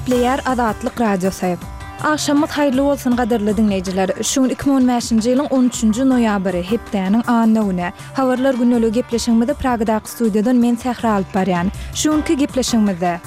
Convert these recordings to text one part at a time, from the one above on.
Gepleýär Azatlyk Radiosy. Agşamyňyz haýyrly bolsun gadyrly diňleýjiler. Şu gün 2015-nji ýylyň on üçünji noýabry, hepdäniň anna güni. Habarlar gündeligi gepleşigimizi Pragadaky studiýadan men Sähra alyp barýan. Şu günki gepleşigimizde.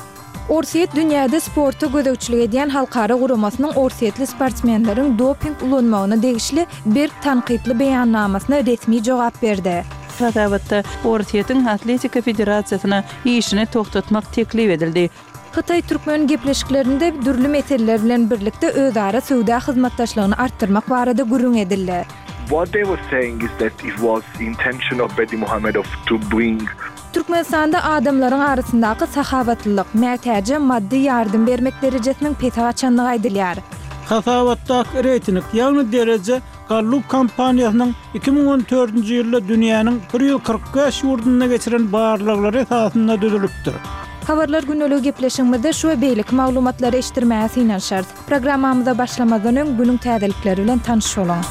Orsýet dünýäde sporta gözegçilik edýän halkara guramasynyň orsýetli sportsmenleriň doping ulanmagyna degişli berk tankytly beýannamasyna resmi jogap berdi. Hasabatda Orsýetiň Atletika federasiýasyna işini togtatmak teklip edildi. Hytaý-türkmen gepleşiklerinde dürli meseleler bilen birlikde özara söwda hyzmatdaşlygyny artdyrmak barada gürrüň edildi. What they were saying is that it was intention of Berdimuhamedow to bring Türkmenistanda adamlaryň arasyndaky sahawatlylyk, mätäje maddy ýardam bermek derejesiniň pese gaçandygy aýdylýar. Hasabatdaky reýting, ýagny dereje Gallup kompaniýasynyň 2014-nji ýylda dünýäniň 145 ýurdunda geçiren barlaglary esasynda düzülipdir. Habarlar gündeligi gepleşigimizde şu we beýleki maglumatlary eşitdirmäge synanyşarys. Programmamyza başlamazdan öň günüň täzelikleri bilen tanyş boluň.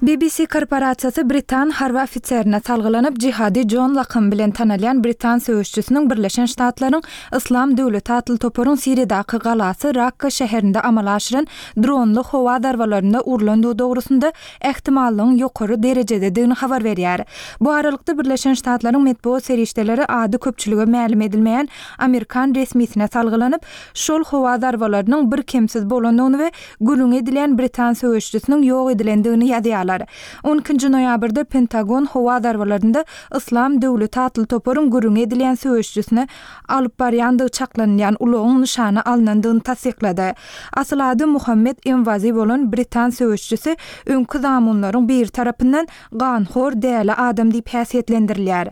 BBC korporasiýasy britan harby ofiserine salgylanyp, Jihadi Jon lakamy bilen tanalýan britan söweşçisiniň Birleşen Ştatlaryň Yslam döwleti atly toparyň Siriýadaky galasy Rakka şäherinde amala aşyran dronly howa zarbalarynda urlandygy dogrusynda ähtimallygyň ýokary derejededigini habar berýär. Bu aralykda, Birleşen Ştatlaryň metbugat serişdeleri ady köpçülige mälim edilmeýän amerikan resmisine salgylanyp, şol howa zarbalarynyň birkemsiz bolandygyny we gürrüňi edilýän britan söweşijisiniň ýok edilendigini ýazýarlar. On ikinji noýabrda Pentagon howa zarbalarynda Yslam döwleti atly toparyň gürrüňi edilýän söweşijisini alyp barýandygy çaklanylýan ulagyň nyşana alnandygyny tassyklady. Asyl ady Muhammet Emwazi bolan britan söweşijisi öňki zamunlaryň biri tarapyndan ganhor däli adam diýip häsiýetlendirilýär.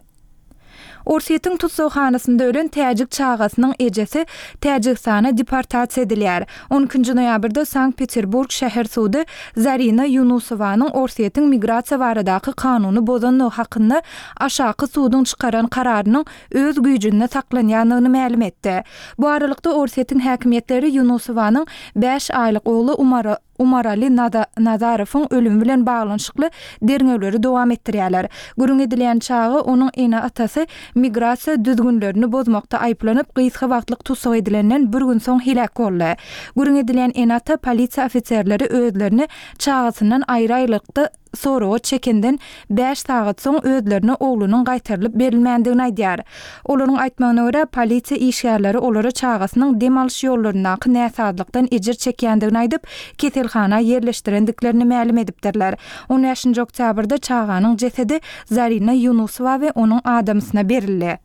Orsýetiň tussaghanasynda ölen täjik çagasynyň ejesi Täjigistana deportasiýa edilýär. On ikinji noýabrda Sankt-Peterburg şäher sudy Zarina Ýunusowanyň Orsýetiň migrasiýa baradaky kanuny bozandygy hakynda aşaky suduň çykaran kararynyň öz güýjünde saklanýandygyny mälim etdi. Bu aralykda, Orsýetiň häkimiýetleri Ýunusowanyň bäş aýlyk ogly Umara Umarali Nazarowyň ölümi bilen baglanyşykly derňewleri dowam etdirýärler. Gürrüň edilýän çaga onuň ene-atasy migrasiýa düzgünlerini bozmakda aýyplanyp, gysga wagtlyk tussag edilenden bir gün soň heläk boldy. Gürrüň edilýän ene-ata polisiýa ofiserleri özlerini çagasyndan aýry-aýrylykda soraga çekenden bäş sagat soň özlerine oglunyň gaýtarylyp berilmändigini aýdýar. Olaryň aýtmagyna görä, polisiýa işgärleri olara çagasynyň dem alyş ýollaryndaky näsazlykdan ejir çekýändigini aýdyp, keselhana ýerleşdirendiklerini mälim edipdirler. On bäşinji oktýabrda çaganyň jesedi Zarina Ýunusowa we onuň adamsyna berildi.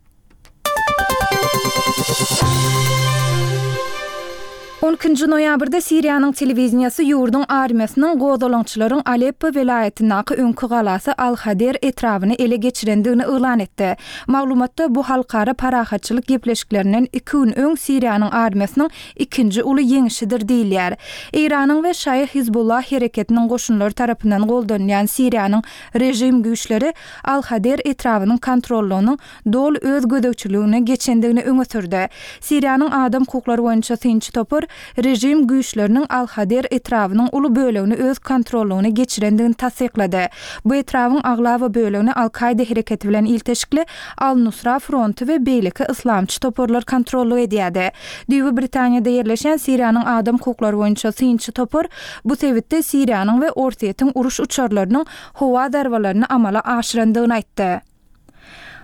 On ikinji noýabrda Siriýanyň telewideniýesi ýurduň armiýasynyň gozgalaňçylaryň Aleppo welaýatyndaky öňki galasy Al-Hader etrabyny ele geçirendigini yglan etdi. Maglumatda bu halkara parahatçylyk gepleşiklerinden iki gün öň Siriýanyň armiýasynyň ikinji uly ýeňişidir diýilýär. Eýranyň we şaýy Hizbullah hereketiniň goşunlary tarapyndan goldanylýan Siriýanyň režim güýçleri Al-Hader etrabynyň kontrollygynyň doly öz gözegçiligine geçendigini öňe sürdi. Siriýanyň adam hukuklary boýunça synçy topar režim güýçleriniň Al-Hader etrabynyň uly bölegini öz kontrollygyna geçirendigini tassyklady. Bu etrabyň aglaba bölegini Al-Kaýda hereketi bilen ilteşikli Al-Nusra fronty we beýleki yslamçy toparlar kontrollyk edýärdi. Düýbi Britaniýada ýerleşýän Siriýanyň adam hukuklary boýunça synçy topar bu sebitde Siriýanyň we Orsýetiň uruş uçarlarynyň howa zarbalaryny amala aşyrandygyny aýtdy.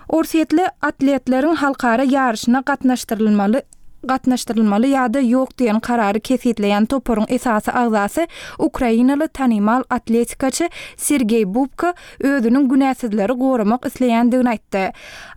Orsýetli atletleriň halkara ýaryşyna gatnaşdyrylmaly gatnaşdyrylmaly ýa-da ýok diýen karary kesgitleýän toparyň esasy agzasy ukrainaly tanymal atletikaçy Sergeý Bubka özüniň günäsizleri goramak isleýändigini aýtdy.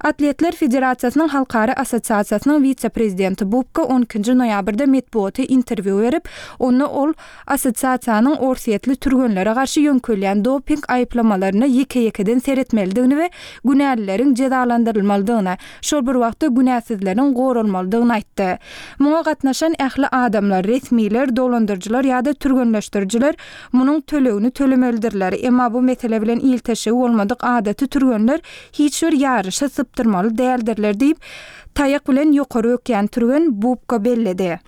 Atletler federasiýasynyň halkara assosiasiýasynyň wise-prezidenti Bubka on ikinji noýabrda metbugata interwýu berip, onda ol Assosiasiýanyň orsýetli türgenlere garşy ýöňkelýän doping aýyplamalaryna ýeke-ýekeden seretmelidigini we günälileriň jezalandyrylmalydygyny, şol bir wagtda günäsizleriň goralmalydygyny aýtdy. Muňa gatnaşan ähli adamlar, resmiler, dolandyryjylar ýa-da türgenleşdirijiler munuň tölegini tölemelidirler. Emma bu mesele bilen ilteşigi bolmadyk adaty türgenler hiç bir ýaryşy sypdyrmaly däldirler diýip, taýak bilen ýokary bökýän türgen Bubka belledi.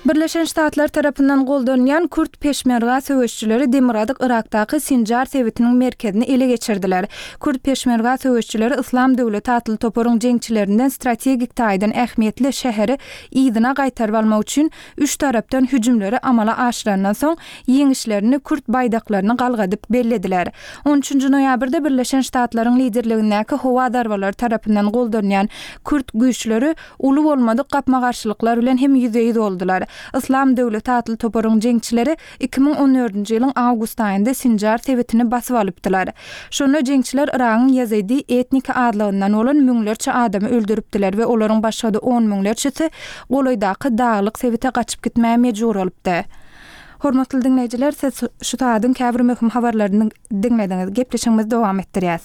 Birleşen Ştatlar tarapyndan goldanylýan kürt peşmerga söweşçileri demirgazyk Yrakdaky Sinjar sebitiniň merkezini ele geçirdiler. Kürt peşmerga söweşçileri Yslam döwleti atly toparyň jeňçilerinden strategik taýdan ähmiýetli şäheri yzyna gaýtaryp almak üçin üç tarapdan hüjümleri amala aşyrandan soň, ýeňişlerini kürt baýdaklaryny galgadyp bellediler. On üçünji noýabrda Birleşen Ştatlaryň liderligindäki howa zarbalary tarapyndan goldanýan kürt güýçleri uly bolmadyk gapma-garşylyklar bilen hem ýüzbe-ýüz boldular. Yslam döwleti atly toparyň jeňçileri 2014-nji ýylyň awgust aýynda Sinjar sebitini basyp alypdylar. Şonda jeňçiler Yragyň ýezidi etniki azlygyndan bolan müňlerçe adamy öldüripdiler we olaryň başga-da on müňlerçesi golaýdaky daglyk sebite gaçyp gitmäge mejbur bolupdy. Hormatly diňleýjiler, siz şu sagadyň käbir möhüm habarlaryny diňlediňiz. Gepleşigimizi dowam etdirýäs.